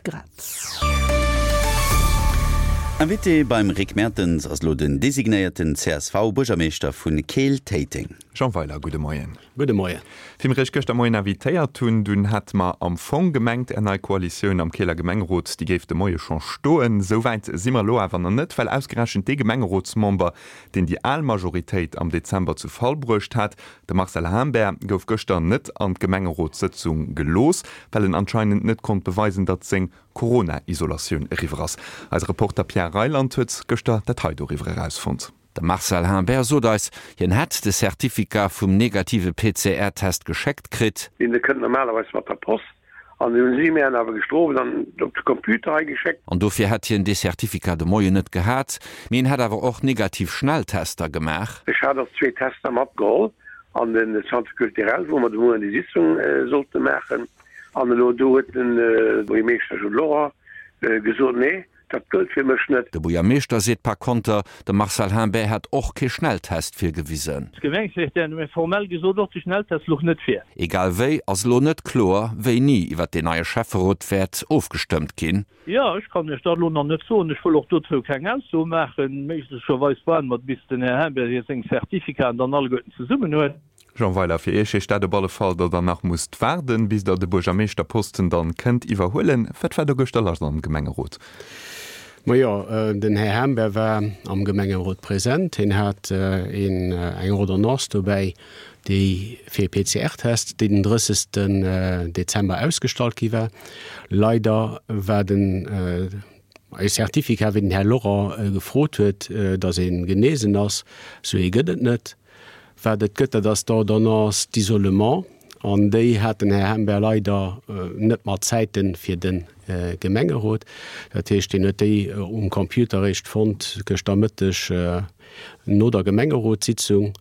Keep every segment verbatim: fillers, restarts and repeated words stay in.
Grad. Invité beim Rick Mertens ass elo den designéierten C S V-Buergermeeschter vu Keel-Téiteng. Jean Weiler, gudde Moien. Gudde Moien. Wéi mir iech gëschter Moien invitéiert hunn, dunn hate mer am Fong gemengt, är nei Koalitioun am Keeler Gemengerot, déi géif de Moie scho stoen. Esou wäit si mer elo awer nach net, well ausgerechent dee Gemengerotsmember, deen déi al Majoritéit am Dezember zu Fall bruecht hat, de Marcel Humbert, gouf gëschter net an d'Gemengerotssëtzung gelooss, well en anscheinend net konnt beweisen, datt seng Corona-Isolatioun eriwwer ass. Eise Reporter Pierre Reyland huet gëschter dat hei doriwwer erausfonnt. De Marcel Humbert sot eis, hien hätt de Certificat vum negative P C R-Test geschéckt kritt. Deen kënnt normalerweis mat der Post an hunn si mir awer gëschter dann op de Computer hei geschéckt. An dofir hätt hien de Certificat de Moien net gehat, mee en hätt awer och negativ Schnelltester gemaach. Ech hat och zwee Tester matgeholl an den Centre culturel, wou mer de Moien déi Sitzung sollte maachen, an elo do huet den Buergermeeschter Jules Lorent gesot, nee, dat gëllt fir mech net. De Buergermeeschter seet par konter, de Marcel Humbert hätt och kee Schnelltest virgewisen. D'Gemengesekretär huet mir formell gesot, och de Schnelltest louch net vir. Egal wéi ass elo net kloer, wéini iwwer deen neie Schäfferot wäert ofgestëmmt ginn. Jo, ech kann Iech dat elo nach net soen. Ech wëll och dozou keng Ausso maachen. Méiglecherweis waarde mer, bis den Här Humbert hir seng Certificaten dann alleguerten zesummen huet. Jean Weiler, fir Iech heescht dat op alle Fall, datt Der nach musst waarden, bis Der de Buergermeeschterposten dann kënnt iwwerhuelen. Wat war do gëschter lass am Gemengerot? Majo, den Här Humbert war am Gemengerot present. Hien hat een eng Ordonnance dobäi, déi fir e P C R-Test, déi den drëssegsten Dezember ausgestallt gi war. Leider war den e Certificat, wéi den Här Lorent gefrot huet, datt e genesen ass, sou ee gëtt et net. Wat et gëtt, dat ass d'Ordonnance d'isolement, an déi hat den Här Humbert leider net mat Zäite fir de Gemengerot. Dat heescht, hien huet déi um Computer eréischt fonnt gëschter Mëtteg no der Gemengerotssitzung.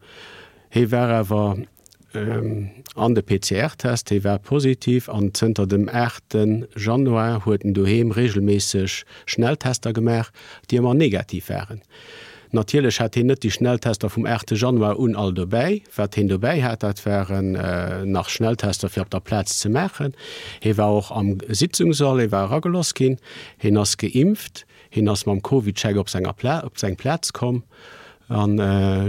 Hie war awer an de P C R-Test, hie war positiv, an zënter dem aachte Januar huet en doheem reegelméisseg Schnelltester gemaach, déi ëmmer negativ waren. Natierlech hat hien net déi Schnelltester vum aachte Januar un all dobäi. Wat hien dobäi hat, dat waren nach Schnelltester fir op der Plaz ze maachen. Hie war och am Sitzungssall, hie war eragelooss ginn, hien ass geimpft, hien ass mam CovidCheck op senger Pla op seng Plaz komm an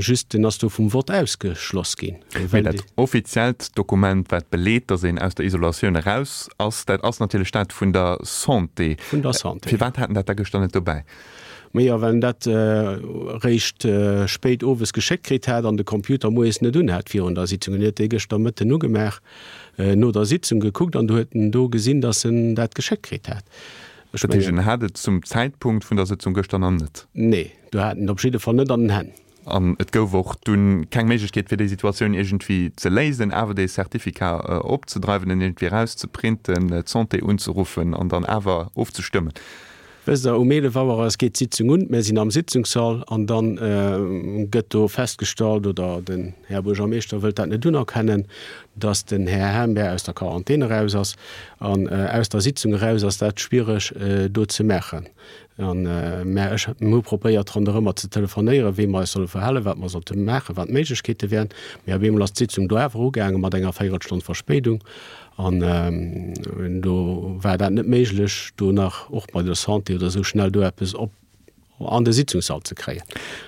just en ass do vum Vott ausgeschloss ginn. Mee dat offiziellt Dokument, wat beleet, datt een aus der Isolatioun eraus ass, dat ass natierlech dat vun der Santé. Vun der Santé. Firwat hat en dat da gëschter net dobäi? Majo, well en dat eréischt spéit owes geschéckt kritt hat an de Computer moies net un hat virun der Sitzung. En huet dee gëschter Mëtten ugemaach, no der Sitzung gekuckt an du huet en do gesinn, datt en dat geschéckt kritt hat. Ech Dat heescht, en hat et zum Zäitpunkt vun der Sëtzung gëschter nach net? Nee, do hat en et op jidde Fall net an den Hänn. An et gouf och dunn keng Méiglechkeet, fir déi Situatioun iergendwéi ze léisen, awer dee Certificat opzedreiwen, en iergendwéi erauszeprinten, d'Santé unzeruffen an dann awer ofzestëmmen? Wësst Der, um eelef Auer ass geet d'Sitzung un, mir sinn am Sitzungssall an dann gëtt do festgestallt, oder den Här Buergermeeschter wëllt dat net unerkennen, dass den Här Humbert aus der Quarantän eraus ass. An aus der Sitzung eraus ass dat schwiereg do ze maachen. An, mä ech, mir hu probéiert ronderëmmer ze telefonéieren, wéi mer eis solle verhalen, wat mer sollte maachen, wat d'Méiglechkeete wären. Mä op eemol ass d'Sitzung do awer ugaange mat enger Véierelstonn Verspéidung. An do war dat net méiglech, do nach och bei der Santé oder esou schnell do eppes op an de Sitzungssall ze kréien.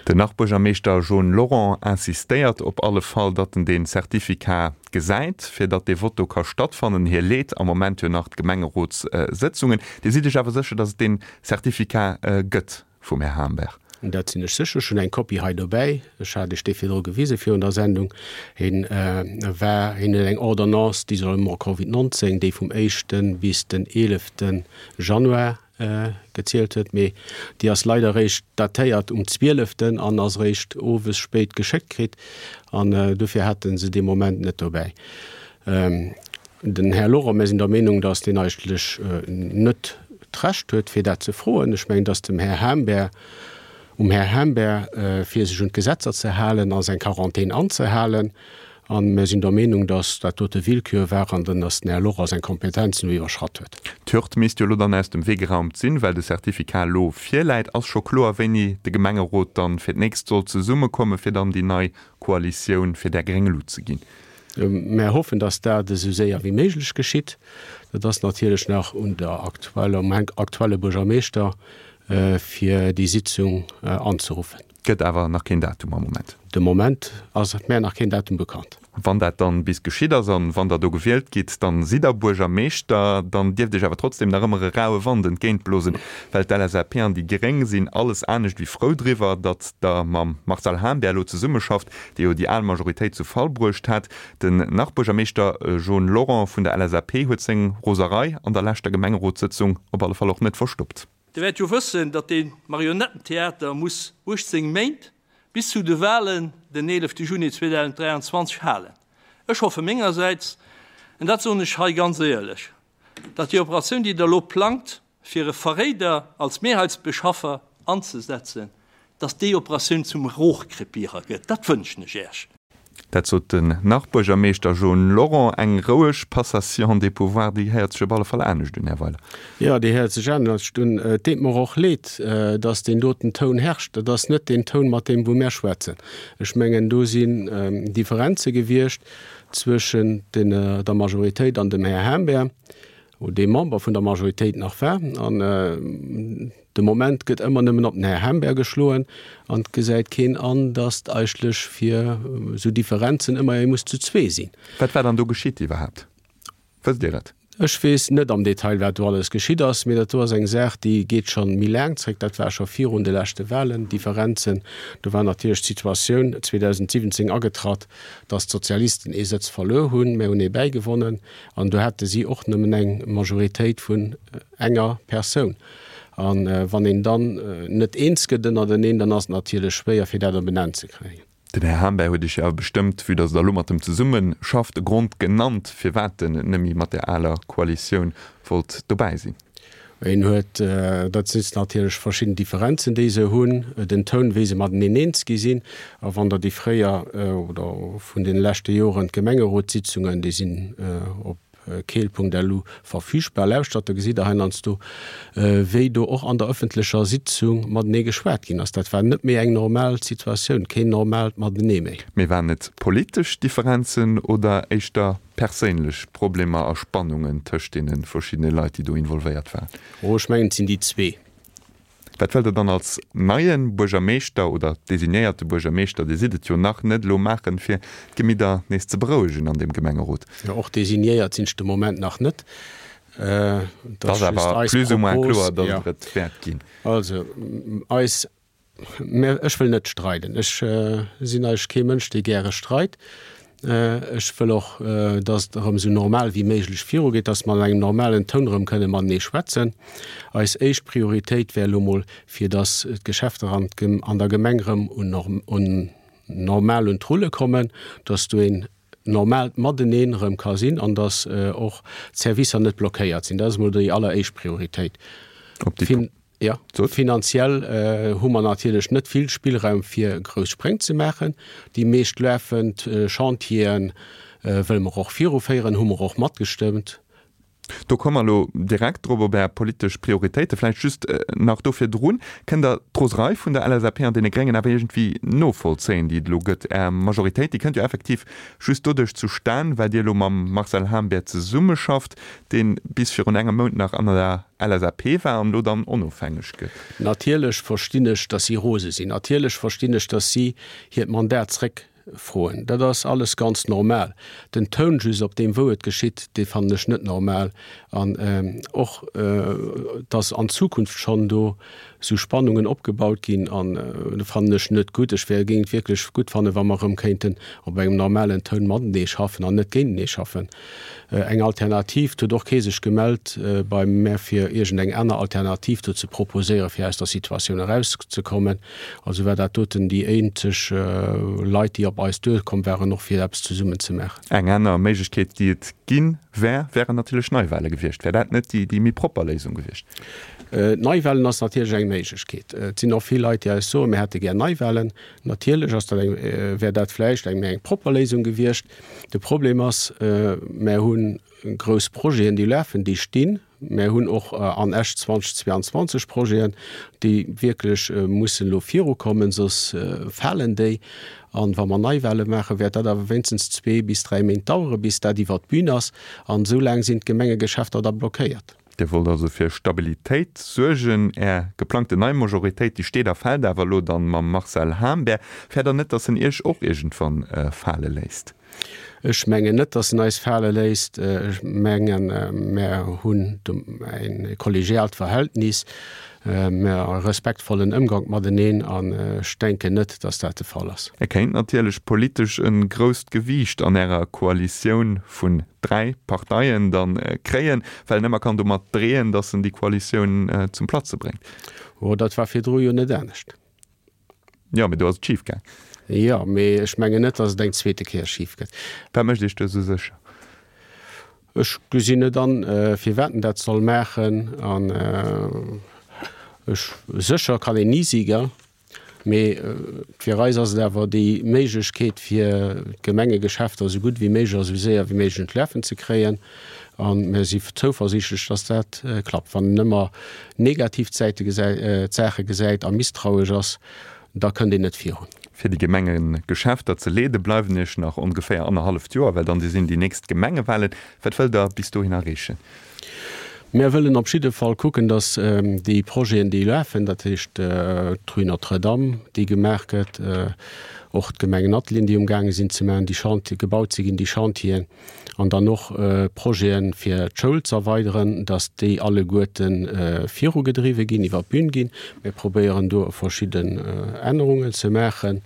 Den Nach-Buergermeeschter Jean Lorent insistéiert op alle Fall, datt en dee Certificat gesäit, fir datt dee Vott do ka stattfannen. Hie leet am Moment jo nach d'Gemengerotssëtzungen. Dir sidd Iech awer sécher, datt et dee Certificat gëtt vum Här Humbert? Dat sinn ech sécher. Ech hunn eng Kopie hei dobäi. Ech hat Iech déi virdru gewise virun der Sendung. Hien war, hien huet eng Ordonnance d'isolement Covid neunzehn, déi vum éischte bis den eelefte Januar gezielt huet, mee déi ass leider eréischt datéiert um zwieleften an ass eréischt owes spéit geschéckt kritt an dofir hate se dee Moment net dobäi. Den Här Lorent, mir sinn der Meenung, datt deen eigentlech net d'Recht huet, fir dat ze froen. Ech mengen, datt dem Här Humbert, um Här Humbert, fir sech un d'Gesetzer ze halen a seng Quarantän anzehalen. A mir sinn der Meenung, datt dat dote Willkür war an datt den Här Lorent seng Kompetenzen do iwwerschratt huet. D'Hürd misst jo elo dann aus dem Wee geraumt sinn, well de Certificat elo virläit. Ass scho kloer, wéini de Gemengerot dann fir d'nächst soll zesummekommen, fir dann déi nei Koalitioun fir där gréng Lut ze ginn? Mär hoffen, dass dat esou séier wéi méiglech geschitt. Dat ass natierlech nach un der aktueller, um aktuelle Buergermeeschter, fir déi Sitzung anzeruffen. Gëtt awer nach keen Datum am Moment? De Moment ass mär nach keen Datum bekannt. Wann dat dann bis geschitt ass an wann Der do gewielt gitt, dann sidd Der Buergermeeschter. Dann dierft Iech awer trotzdem nach ëmmer e raue Wand entgéintblosen, well d'LSAP an déi Gréng sinn alles anescht wéi frou driwwer, datt Der mam Marcel Hahnbär elo zesummeschafft, dee jo déi al Majoritéit zu Fall bruecht hat. Den Nach-Buergermeeschter John Lorent vun der LSAP huet seng Roserei an der leschter Gemengerotssëtzung op alle Fall och net verstoppt. Dir wäert jo wëssen, datt dee Marionettentheater muss uechtzéng Méint, bis zu de Wahlen den eelefte Juni zweedausenddräianzwanzeg halen. Ech hoffe mengersäits, an dat soen ech hei ganz éierlech, datt déi Operatioun, déi Der elo plangt, fir e Verréider als Mehrheitsbeschaffer anzesetzen, datt déi Operatioun zum Rohrkrepierer gëtt. Dat wënschen ech Iech. Dat sot den Nach-Buergermeeschter John Lorent. Eng roueg Passation des pouvoirs, déi héiert sech op alle Fall anescht un, Här Weiler. Jo, déi héiert sech anescht un. Et deet mer och leed, datt deen doten Toun herrscht. Dat ass net deen Toun, mat deem wou mär schwätzen. Ech mengen, do sinn Differenze gewiescht zwëschen der Majoritéit an dem Här Humbert. wou dee Member vun der Majoritéit nach war, an de Moment gëtt ëmmer nëmmen op den Här Hemberg geschloen an et gesäit keen an, datt eigentlech fir esou Differenzen ëmmer ee muss zu zwee sinn. Wat war dann do geschitt iwwerhaapt? Wësst Dir et? Ech weess net am Detail, wat do alles geschitt ass, mee dat do ass eng Saach, déi geet scho méi laang zréck. Dat war scho virun de leschte Wahlen, Differenzen. Do war natierlech d'Situatioun zweedausendsiwwenzéng agetratt, datt d'Sozialisten ee Sëtz verluer hunn, mär hunn ee bäigewonnen. An do hate si och nëmmen eng Majoritéit vun enger Persoun. A wann een dann net eens gëtt ënnerteneen, dann ass et natierlech schwéier, fir dat op en Enn ze kréien. Den Här Hamberg huet Iech jo awer bestëmmt, vue dass Der elo mat em zesumme schafft, e Grond genannt, firwat en net méi mat där aler Koalitioun wollt dobäi sinn. Een huet, dat si natierlech verschidden Differenzen, déi se hunn, den Toun, wéi se mateneen eens gi sinn. A wann Der déi fréier oder vun deene leschte Joren d'Gemengerotssitzungen, déi sinn op keel Punkt L U verfügbar, lauschtert, da gesitt Der heiansdo, wéi do och an der ëffentlecher Sitzung matenee geschwat ginn ass. Dat war net méi eng normal Situatioun, keen normaalt Matenee méi. Mee waren et politesch Differenzen oder éischter perséinlech Problemer a Spannungen tëscht deene verschiddene Leit, déi do involvéiert waren? Oh, ech mengen, et sinn déi zwee. Wat wëllt Der dann als neie Buergermeeschter oder designéierte Buergermeeschter, Dir sidd et jo nach net, elo maachen, fir d'Gemidder nees ze berouegen an deem Gemengerot? Jo, och designéiert sinn ech de Moment nach net. Et ass awer plus ou moins kloer, datt Der et wäert ginn. Also, eis Mä ech wëll net streiden. Ech sinn eigentlech kee Mënsch, dee gäre streit. Ech wëll och, datt et erëm esou normal wéi méiglech virugeet, datt mer an engem normalen Toun erëm kënne matenee schwätzen. Eis éischt Prioritéit wär elo mol, fir datt d'Geschäfter an an der Gemeng erëm un normal un d'Rulle kommen, datt do een normaalt Mateneen erëm ka sinn an datt och d'Servicer net blockéiert sinn. Dat ass emol déi alleréischt Prioritéit. Op déi. Jo, finanziell hu mer natierlech net vill Spillraum fir grouss Spréng ze maachen. Déi meescht lafend Chantiere wëlle mer och viruféieren, hu mer och matgestëmmt. Do komme mer elo direkt drop, op Är politesch Prioritéite. Vläicht just nach do virdrun, Kënnt Der d'Roserei vun der L S A P an deene Gréngen awer iergendwéi novollzéien, déi et elo gëtt? Är Majoritéit, déi kënnt jo effektiv just doduerch zustan, well Dir elo mam Marcel Hahnbert zesummeschafft, dee bis virun engem Mount nach an der L S A P war an elo dann onofhängeg gëtt. Natierlech verstinn ech, datt si rose sinn. Natierlech verstinn ech, datt si hiert Mandat zréckfroen. Dat ass alles ganz normal. Den Toun just, op deem wou et geschitt, dee fannen ech net normal. An och, datt an Zukunft schonn do esou Spannungen opgebaut ginn, an dat fannen ech net gutt. Ech wär, géing et wierklech gutt fannen, wa mer erëm kéinten op engem normalen Toun matenee schaffen an net géintenee schaffen. Eng Alternativ, et huet och kee sech gemellt bei mär fir iergendeng aner Alternativ do ze proposéieren, fir aus der Situatioun erauszekommen. Also war dat doten déi eenzeg Leit, déi op eis duerkomm waren, och fir eppes zesummen ze maachen. Eng aner Méiglechkeet, déi et ginn wär, wären natierlech Neiwahle gewiescht. Wär dat net déi méi propper Léisung gewiescht? Neiwahlen ass natierlech eng Méiglechkeet. Et sinn och vill Leit, déi eis soen, mir hätte gär Neiwahlen. Natierlech ass dat eng, wär dat vläicht eng méi eng propper Léisung gewiescht. De Problem ass, mär hu grouss Projeten, déi lafen, déi stinn. Mär hunn och an Esch zweitausendzweiundzwanzeg Projeten, déi wierklech mussen elo virukommen, soss falen déi. An wa mer Neiwahle maachen, wäert dat awer wéinstens zwee bis dräi Méint daueren, bis dat iwwert d'Bün ass. An esou laang sinn d'Gemengegeschäfter da blockéiert. Dir wollt also fir Stabilitéit suergen. Är geplangten nei Majoritéit, déi steet a fält awer elo dann mam Marcel Hahnbär. Fäert Der net, datt en Iech och iergendwann fale léisst? Ech mengen net, datt en eis fale léisst. Ech mengen, mär hunn e kollegiaalt Verhältnis, mär e respektvollen Ëmgank mateneen an ech denken net, datt dat de Fall ass. E kéint natierlech politesch e grousst Gewiicht an Ärer Koalitioun vun dräi Parteien dann kréien, well en ëmmer kann domat dreeën, datt en déi Koalitioun zum Platze bréngt. Oh, dat war virdru jo net anescht. Jo, mee do ass et schif gaang. Jo, mee ech mengen net, datt et eng zweete Kéier schif gëtt. Wat mécht Iech do esou sécher? Ech gesinn net an, firwat en dat soll maachen. An ech, sécher kann een ni si, gell? Mee fir eis ass et awer déi Méiglechkeet, fir d'Gemengegeschäfter esou gutt wéi méiglech a esou séier wéi méiglech un d'Lafen ze kréien. A mir si zouversiichtlech, datt dat klappt. Wann een ëmmer negativ d'Säite gesäit, d'Saache gesäit a misstrauesch ass, da kënnt een net virun. Fir déi Gemengegeschäfter ze leede bleiwen Iech nach ongeféier annerhalleft Joer, well dann sinn déi nächst Gemengewahlen. Wat wëllt Der bis dohin erreechen? Mär wëllen op jidde Fall kucken, datt déi Projeten, déi lafen, dat heescht d'Rue Notre-Dame, déi gemaach gëtt, och d'Gemengenatelieren, déi umgaange sinn ze maachen, déi Chantier, gebaut ze ginn, déi Chantieren, an dann och Projeten, fir d'Schoul ze erweideren, datt déi alleguerte virugedriwwe ginn, iwwer d'Bün ginn. Mir probéieren do verschidden Ännerungen ze maachen.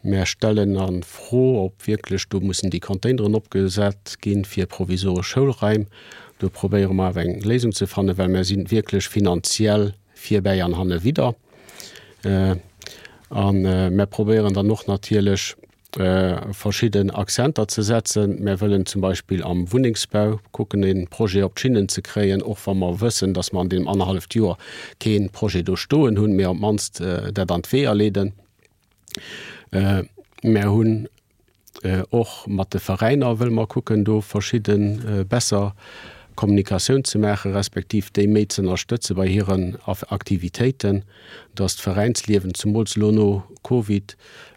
Mär stellen a Fro, ob wierklech do mussen déi Containeren opgesat ginn fir provisoresch Schoulraim. Do probéiere mer awer eng Léisung ze fannen, well mär si wierklech finanziell virbäi an hanne widder. A mär probéieren dann och natierlech verschidden Accenter ze setzen. Mär wëllen zum Beispill am Wunnengsbau kucken, e Projet op d'Schinnen ze kréien, och wa mer wëssen, datt mer an deem annerhalleft Joer kee Projet do stoen hunn, mee op d'mannst dat an d'Weeër leeden. Mär hunn och mat de Veräiner wëlle mer kucken, do verschidde besser Kommunikatioun ze maachen, respektiv déi méi ze ënnerstëtze bei hiren Aktivitéiten, datt d'Veräinsliewen zemools elo no Covid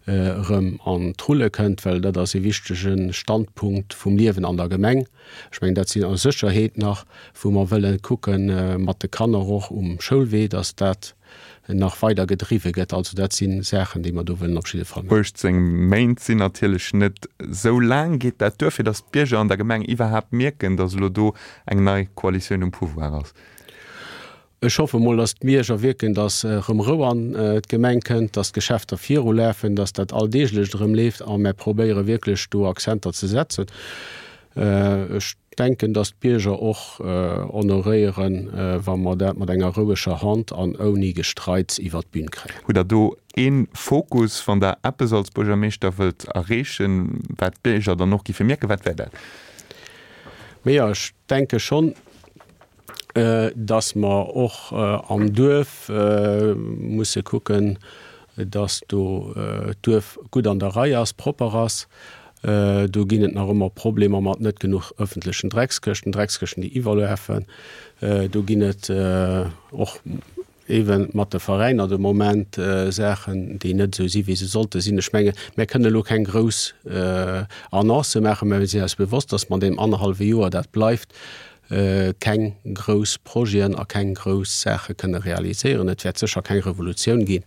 erëm an d'Rulle kënnt, well dat ass e wichtege Standpunkt vum Liewen an der Gemeng. Ech mengen, dat sinn a Sécherheet nach, wou mer wëlle kucke mat de Kanner och um Schoulwee, datt dat nach weider gedriwwe gëtt. Also dat si Saachen, déi mer do wëllen op jidde Fall maachen. uechtzéng Méint sinn natierlech net esou laang. Geet dat duer, fir datt d'Bierger an der Gemeng iwwerhaapt mierken, datt elo do eng nei Koalitioun um Pouvoir ass? Ech hoffe mol, datt d'Bierger wierken, datt erëm Rou an d'Gemeng kënnt, datt d'Geschäfter virulafen, datt dat Alldeeglecht erëm leeft a mer probéiere wierklech do Accenter ze setzen. Ech denken, datt d'Bierger och honoréieren, wa mer dat mat enger roueger Hand an ouni Gestreits iwwert d'Bün kréien. Hutt Der do ee Fokus, wann Der eppes als Buergermeeschter wëllt erreechen, wat d'Bierger dann och giffe mierken? Wat wär dat? Majo, ech denke schonn, datt mer och am Duerf musse kucken, datt do d'Duerf gutt an der Rei ass, propper ass. Do ginn et nach ëmmer Problemer mat net genuch ëffentlechen Dreckskëschten, Dreckskëschten, déi iwwerlafen. Do ginn et och eeben mat de Veräiner de Moment Saachen, déi net esou si wéi se sollte sinn. Ech menge mir kënnen elo keng grouss Annoncë maachen, mä mir sinn eis bewosst, datt mer an deem annerhallwe Joer, dat bleift, keng grouss Projeten a keng grouss Saache kënne realiséieren. Et wäert sécher keng Revolutioun ginn,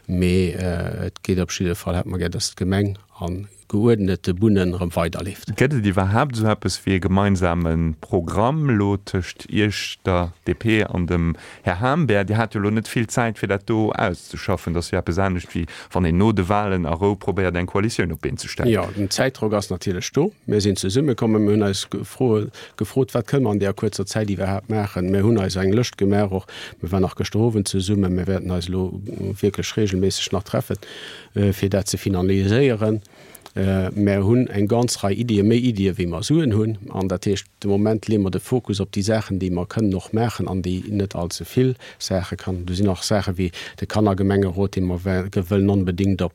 mee et geet op jidde Fall, hätte mer gär, datt d'Gemeng a geuerdnete Bunnen erëm weiderleeft. Gëtt et iwwerhaapt esou eppes wéi e gemeinsame Programm elo tëscht Iech, der D P an dem Här Hahnbär? Dir hat jo elo net vill Zäit, fir dat do auszeschaffen. Dat ass jo eppes anescht, wéi wann een no de Wahlen a Rou probéiert, eng Koalitioun op d'Been ze stellen. Jo, den Zäitdrock ass natierlech do. Mir sinn zesummekommen, mir hunn eis Froe gefrot, Wat kënne mer an deeër kuerzer Zäit iwwerhaapt maachen? Mir hunn eis eng Lëscht gemaach och. Mir waren nach gëschter Owend zesummen. Mir wäerten eis elo wierklech reegelméisseg nach treffen, fir dat ze finaliséieren. Mär hunn eng ganz Rei Iddien, méi Iddie wéi mer Suen hunn. An dat heescht, de Moment leeë mer de Fokus op déi Saachen, déi mer kënnen och maachen an déi net allze vill Saache kann. Do sinn och Saache wéi de Kannergemengerot, dee mer wëllen onbedéngt op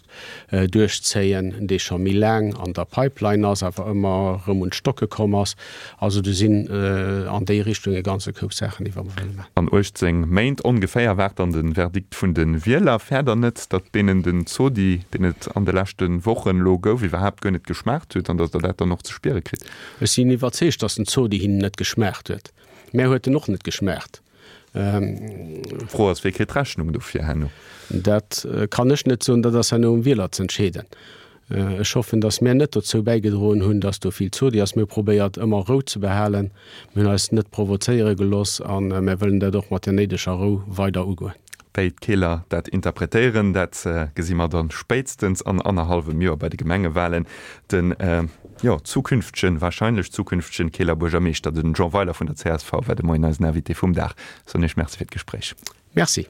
duerchzéien, dee scho méi laang an der Pipeline ass, awer ëmmer erëm un d'Stocke komm ass. Also do sinn an déi Richtung e ganze Koup Saachen, déi mer wëlle maachen. An uechtzéng Méint ongeféier waart dann de Verdikt vun de Wieler. Fäert Der net, datt deenen den Zodi, deen et an de leschte Wochen elo gouf, iwwerhaapt guer net geschmaacht huet an datt Der dat dann och ze spiere kritt? Ech sinn iwwerzeegt, datt den Zodi hinnen net geschmaacht huet. Mär huet en och net geschmaacht. D'Fro ass, Wie kritt d'Rechnung dofir herno? Dat kann ech net soen, dat ass herno um Wieler z'entscheeden. Ech hoffen, datt mär net dozou bäigedroen hunn, datt do vill Zodi ass. Mir hu probéiert, ëmmer Rou ze behalen. Mir hunn eis net provozéiere gelooss a mär wëllen dat och mat der néideger Rou weider ugoen. Wéi d'Keeler dat interpretéieren, dat gesi mer dann spéitstens an annerhallwem Joer bei de Gemengewalen. Den, jo, zukünftegen, wahrscheinlech zukünftegen Keeler Buergermeeschter, den Jean Weiler vun der csv, war de Moien eisen Invité vum Dag. Soen Iech Merci fir d'Gespréich. Merci.